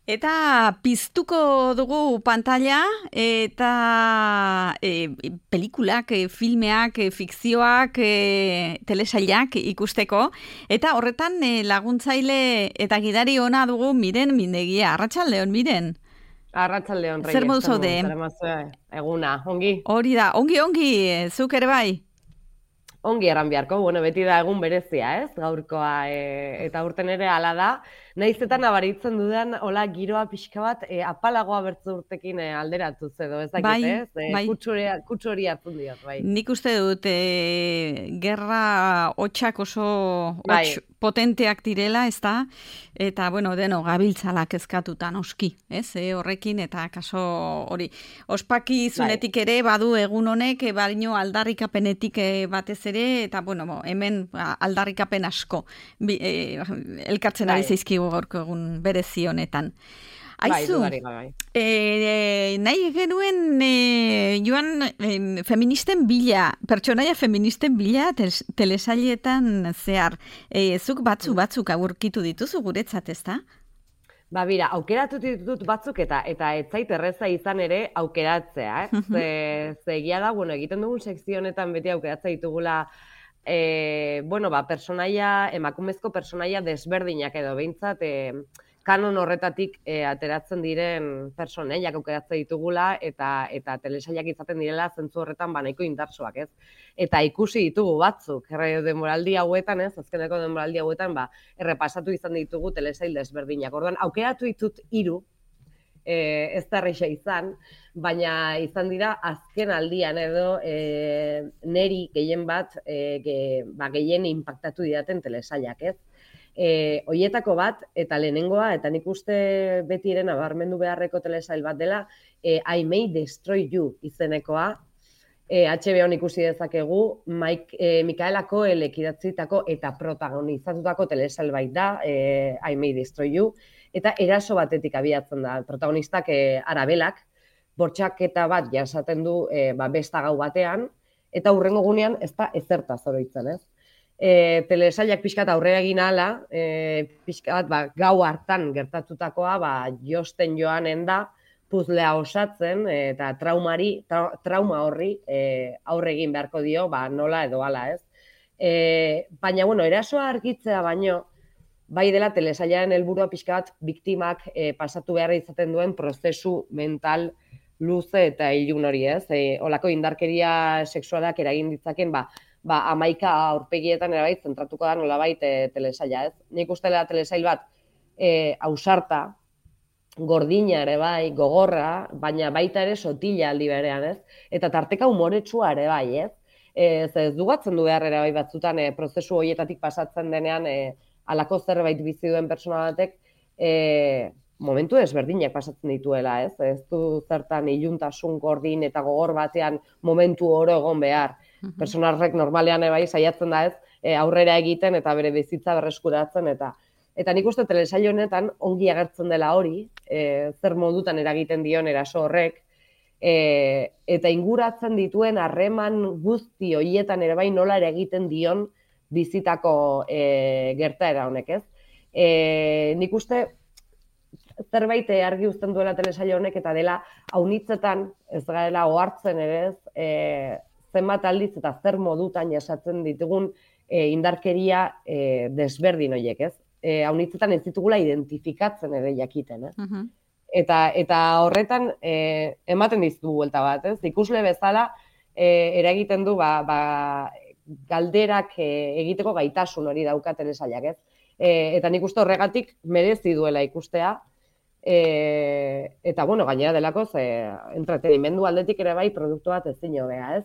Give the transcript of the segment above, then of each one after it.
Eta piztuko dugu pantalla eta pelikulak, filmeak, fikzioak, telesailak ikusteko. Eta horretan laguntzaile eta gidari ona dugu Miren Mindegia. Arratsaldeon, Miren. Arratsaldeon, Reyes. Zer modu zaude? Eguna, ongi? Hori da, ongi, zuk ere bai? Ongi erran beharko, beti da egun berezia, ez? Gaurkoa, eta urten ere hala da. Nahizetan nabaritzen dudan, hola, giroa pixka bat, apalagoa bertzu urtekin alderatuz edo, ez dakit, ez? Bai. Kutsu hori hartzen diot, bai. Nik uste dut, gerra hotxak oso hotx potenteak direla, ez da? Eta, gabiltzala kezkatuta noski, ez? Horrekin, eta kaso hori. Ospaki zunetik ere, badu egun honek, baino aldarrikapenetik batez ere, eta, hemen aldarrikapen asko elkartzen ari zaizkigu gaurko egun berezi honetan. Aizu, nahi genuen joan feministen bila, pertsonaia feministen bila telesailetan zehar. Zuk batzuk aurkitu dituzu guretzat, ez da? Bira, aukeratu ditut batzuk eta ez zait erreza izan ere aukeratzea, Egia da, egiten dugun sekzio honetan beti aukeratzea ditugula emakumezko personaia desberdinak edo behintzat kanon horretatik ateratzen diren personaiak aukeratzen ditugula eta telesailak izaten direla zentzu horretan nahiko indartsuak, ez? Eta ikusi ditugu batzuk, denboraldi hauetan, ez? Azkeneko denboraldi hauetan, errepasatu izan ditugu telesail desberdinak. Orduan, aukeratu ditut 3, ez da erreixa izan, baina izan dira azken aldian edo neri gehien bat gehien impactatu didaten telesailak, ez? Hoietako bat, eta lehenengoa, eta nik uste betiren nabarmendu beharreko telesail bat dela, I May Destroy You izenekoa, HBO-n ikusi dezakegu, Micaela Coelek idatzitako eta protagonizatutako telesail bait da, I May Destroy You, eta eraso batetik abiatzen da, protagonistak Arabelak, bortxaketa bat jasaten du besta gau batean, eta hurrengo gunean ez da ezertaz oroitzen, ez? Telesailak pixkat aurrera egin ala, pixkat gau hartan gertatutakoa josten joanen da, puzlea osatzen eta trauma horri aurre egin beharko dio, nola edo ala, ez? Baina, erasoa argitzea baino, bai dela telesailaren helburua pixkat biktimak pasatu behar izaten duen prozesu mental luze eta ilun hori, ez? Olako indarkeria sexualak eragin ditzaken, 11 aurpegietan erabait zentratuko da nolabait telesaila, ez? Nik uste dela telesail bat ausarta, gordina ere bai, gogorra, baina baita ere sotila aldi berean, ez? Eta tarteka humoretsua ere bai, ez? Ez dugatzen du behar ere bai batzutan prozesu horietatik pasatzen denean halako zerbait bizi duen pertsona batek momentu desberdinak pasatzen dituela, ez? Ez du zertan iluntasun gordin eta gogor batean momentu oro egon behar. Personarrek normalean bai saiatzen da, ez? Aurrera egiten eta bere bizitza berreskuratzen eta nik uste telesail honetan ongi agertzen dela hori, zer modutan eragiten dion eraso horrek, eta inguratzen dituen harreman guzti horietan ere bai nola eragiten dion bizitako gertaera honek, ez? Nik uste zerbait argi uzten duela telesail honek eta dela haunitzetan ez garela ohartzen ere, ez? Zenbat aldiz eta zer modutan jasatzen ditugun indarkeria desberdin horiek, ez? Haunitzetan ez ditugula identifikatzen ere jakiten, ez? Eta horretan ematen dizugu buelta bat, ez? Ikusle bezala eragiten du galderak egiteko gaitasun hori dauka telesailak, ez? Eta nik uste horregatik merezi duela ikustea, eta gainera delako entretenimendu aldetik ere bai produktu bat ezin hobea, ez?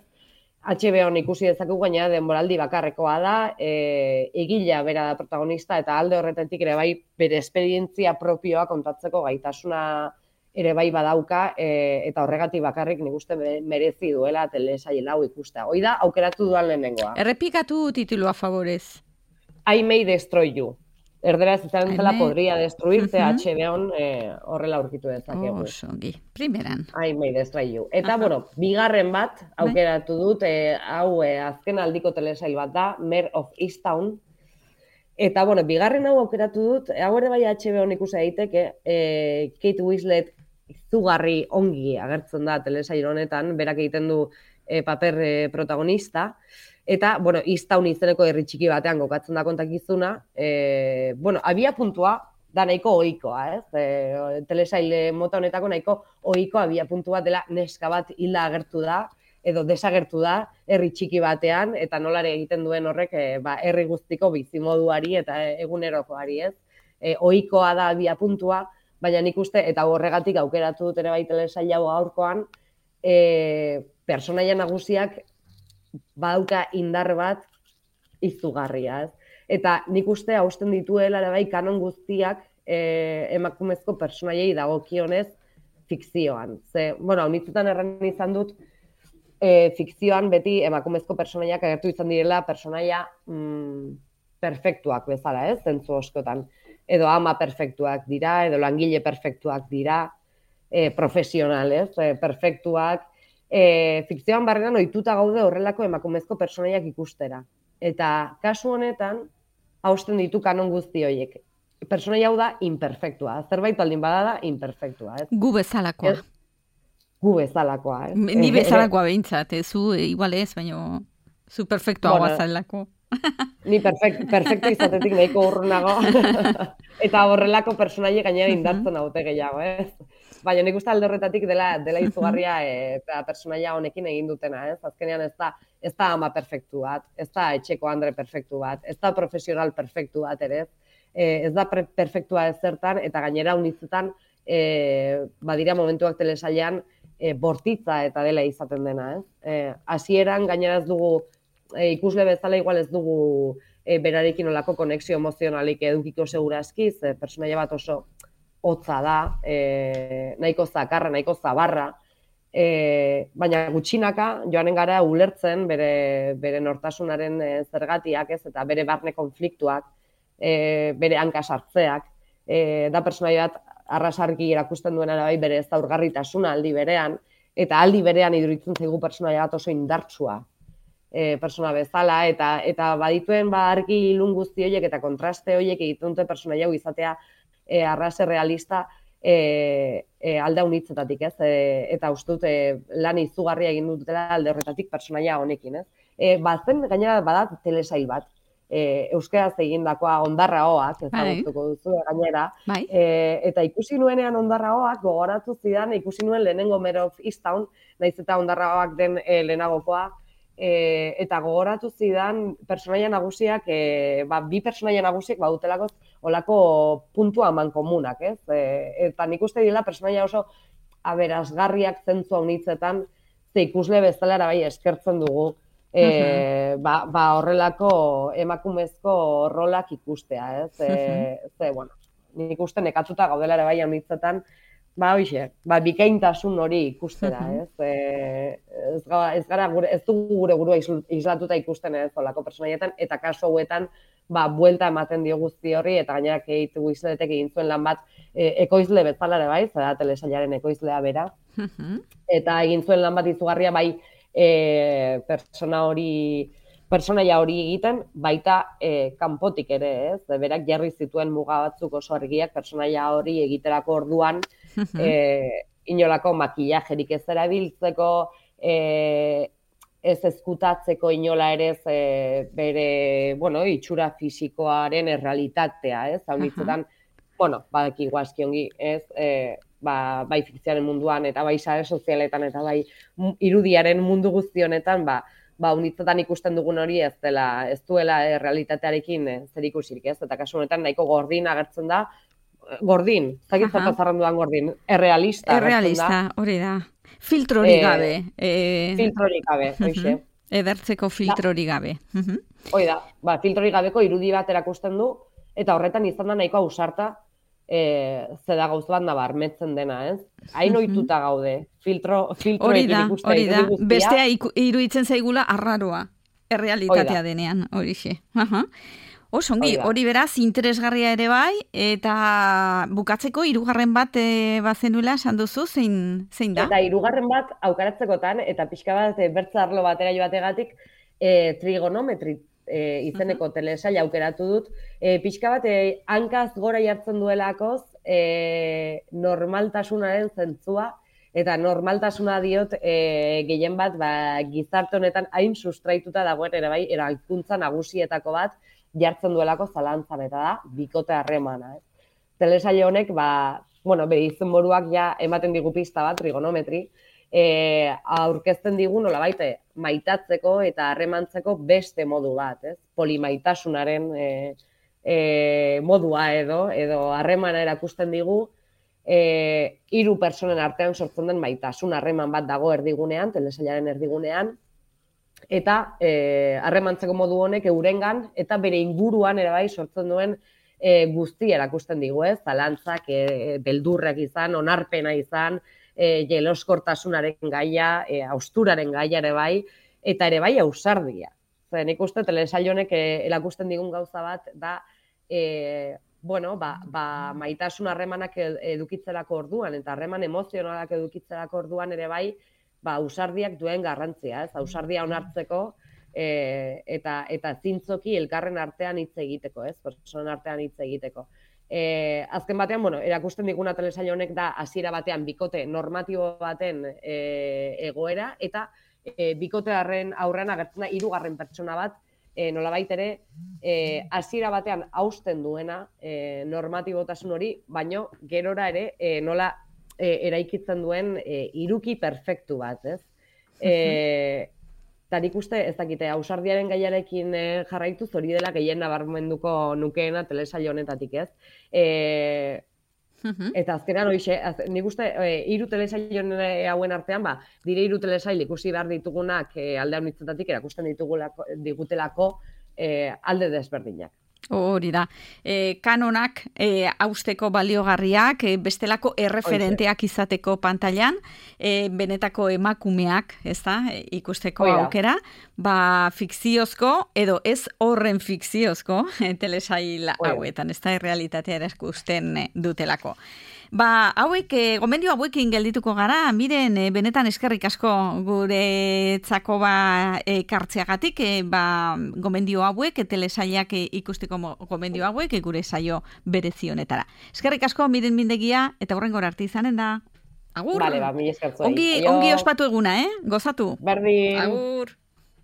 HBO-n ikusi dezakegu gainera denboraldi bakarrekoa da, egilea bera da protagonista eta alde horretatik ere bai bere esperientzia propioa kontatzeko gaitasuna ere bai badauka, eta horregatik bakarrik nik uste merezi duela telesail hau ikustea. Hoi da, aukeratu duan lehenengoa. Errepikatu titulua favorez. I May Destroy You. Erderaz izan zela podria destruirte, HBO-n horrela aurkitu dezakegu. Ongi, primeran. I May Destroy You. Eta, bigarren bat aukeratu dut, hau azken aldiko telesail bat da, Mare of Easttown. Eta, bueno, bigarren hau aukeratu dut, hau ere bai HBO ikusi daiteke, Kate Winslet izugarri ongi agertzen da telesail honetan, berak egiten du paper protagonista, eta, bueno, Easttown izeneko herri txiki batean gokatzen da kontakizuna, bueno, abia puntua da nahiko ohikoa, ez? Telesail mota honetako nahiko ohiko abia puntua dela neska bat hilda agertu da, edo desagertu da herri txiki batean, eta nolare egiten duen horrek herri guztiko bizimoduari eta egunerokoari, ez? Ohikoa da abia puntua, baina nik uste, eta horregatik aukeratu dut ere bai telesail hau gaurkoan, pertsonaia nagusiak badauka indar bat izugarria, ez? Eta nik uste hausten dituela ere bai kanon guztiak emakumezko pertsonaiei dagokionez fikzioan. Ze, bueno, honitzetan erran izan dut, fikzioan beti emakumezko pertsonaiak agertu izan direla pertsonaia perfektuak bezala, ez? Zentzu askotan. Edo ama perfektuak dira, edo langile perfektuak dira, profesionalez, perfektuak. Fikzioan barrenan ohituta gaude horrelako emakumezko pertsonaiak ikustera. Eta kasu honetan, hausten ditu kanon guzti horiek. Pertsonaia hau da imperfektua. Zerbait baldin bada da imperfektua, ez? Gu bezalakoa. Gu bezalakoa, ez? Ni bezalakoa behintzat, zu igual ez, baina zu perfektua guazalako. Ni perfektu izatetik nahiko urrunago. Eta horrelako personaile gainera indartzen haute gehiago, ez? Baina nik uste alde horretatik dela izugarria eta personaia honekin egin dutena, ez? Azkenean ez da ama perfektu bat, ez da etxeko andre perfektu bat, ez da profesional perfektu bat ere, ez da perfektua ezertan, eta gainera unitzetan badira momentuak telesailean bortitza eta dela izaten dena, ez? Hasieran gainera ez dugu, ikusle bezala igual ez dugu berarekin olako konexio emozionalik edukiko segurazki, personaia bat oso hotza da, nahiko zakarra, nahiko zabarra, baina gutxinaka joanen gara ulertzen bere nortasunaren zergatiak, ez, eta bere barne konfliktuak, bere hanka sartzeak, da personaia bat arrasarki erakusten duena bai bere zaurgarritasuna aldi berean, eta aldi berean iduritzen zaigu personaia bat oso indartsua persona bezala, eta badituen argi ilun guzti horiek eta kontraste horiek egiten dute personaia hau izatea arrase realista alde unitzetatik, ez? Eta uste dut lan izugarria egin dutela alde horretatik personaia honekin, ez? Bazen gainera badat telesail bat, euskaraz egindakoa Ondarra Oak, ezagutuko duzu gainera, eta ikusi nuenean Ondarra Oak gogoratu zidan, ikusi nuen lehenengo Mare of Easttown, naiz eta Ondarra Oak den lehenagokoa, eta gogoratu zidan personaia nagusiak, bi personaia nagusiak badutelako olako puntua mankomunak, ez? Eta nik uste dira personaia oso aberasgarriak zentzua unitzetan, ze ikusle bezala bai eskertzen dugu, horrelako emakumezko rolak ikustea, ez? Ze, bueno, nik uste nekatuta gaudela ere bai unitzetan, bikaintasun hori ikustera, ez? Ez dugu gure burua islatuta ikusten ez olako personaietan, eta kasu hauetan, buelta ematen dio guzti horri, eta gainera Kate Winsletek egin zuen lan bat ekoizle bezala ere bai, zera telesailaren ekoizlea bera, eta egin zuen lan bat izugarria bai pertsonaia hori egiten, baita kanpotik ere, ez? Berak jarri zituen muga batzuk oso argiak pertsonaia hori egiterako orduan, inolako makillajerik ez erabiltzeko, ez ezkutatzeko inola ere bere, itxura fisikoaren errealitatea, ez? Haunitzetan, badaki guazki ongi, ez? Bai fikzioaren munduan, eta bai sare sozialetan, eta bai irudiaren mundu guzti honetan, unitzetan ikusten dugun hori ez duela realitatearekin zerikusirik, ez? Eta kasu honetan nahiko gordin agertzen da, gordin, zakit zertazarren dudan gordin, errealista. Errealista, hori da. Filtrorik gabe. Filtrorik gabe, hoxe. Edertzeko filtrorik gabe. Hoi da, filtrorik gabeko irudi bat erakusten du, eta horretan izan da nahiko ausarta, zeda gauz bat nabarmetzen dena, ez? Hain ohituta gaude, filtroekin ikustea. Hori da, bestea iruditzen zaigula arraroa, errealitatea denean, horixe. Osongi, hori beraz, interesgarria ere bai, eta bukatzeko hirugarren bat bazenuela esan duzu, zein da? Eta hirugarren bat aukaratzekotan, eta pixka bat bertza arlo batera joategatik, trigonometri izeneko telesaila aukeratu dut, pixka bat hankaz gora jartzen duelakoz normaltasunaren zentzua, eta normaltasuna diot gehien bat gizarte honetan hain sustraituta dagoen ere bai, eraikuntza nagusietako bat jartzen duelako zalantzan, eta da, bikote harremana. Telesaile honek, bere izenburuak ja ematen digu pista bat, trigonometri, aurkezten digu nolabait maitatzeko eta harremantzeko beste modu bat, polimaitasunaren modua edo harremana erakusten digu, hiru pertsonen artean sortzen den maitasun harreman bat dago erdigunean, telesailaren erdigunean, eta harremantzeko modu honek eurengan eta bere inguruan ere bai sortzen duen guztia erakusten digu, zalantzak, beldurrak izan, onarpena izan, jeloskortasunaren gaia, hausturaren gaia ere bai, eta ere bai ausardia. Nik uste telesail honek erakusten digun gauza bat da maitasun harremanak edukitzelako orduan, eta harreman emozionalak edukitzelako orduan ere bai, ausardiak duen garrantzia, ausardia onartzeko, eta zintzoki elkarren artean hitz egiteko, pertsonen artean hitz egiteko. Azken batean, erakusten diguna telesail honek da hasiera batean bikote normatibo baten egoera, eta bikotearen aurrean agertzen da hirugarren pertsona bat, nolabait ere, hasiera batean hausten duena normatibotasun hori, baino gerora ere nola eraikitzen duen hiruki perfektu bat, ez? Eta nik uste, ez dakite, ausardiaren gaiarekin jarraituz hori dela gehien nabarmenduko nukeena telesail honetatik, ez? Eta azkenan nik uste, hiru telesail hauen artean, dire hiru telesail ikusi behar ditugunak alde honitzetatik erakusten digutelako alde desberdinak. Hori da. Kanonak hausteko baliogarriak, bestelako erreferenteak izateko pantailan, benetako emakumeak, ez da, ikusteko aukera, fikziozko, edo ez horren fikziozko telesail hauetan, ez da, errealitatea erakusten dutelako. Gomendio hauekin geldituko gara, miren, benetan eskerrik asko guretzako kartzeagatik, gomendio hauek, telesailak ikusteko gomendio hauek, gure saio berezionetara. Eskerrik asko, miren mindegia, eta horrengora arte izanen da. Agur! Vale, mila eskertzoi. Ongi ospatu eguna, gozatu. Berdin. Agur!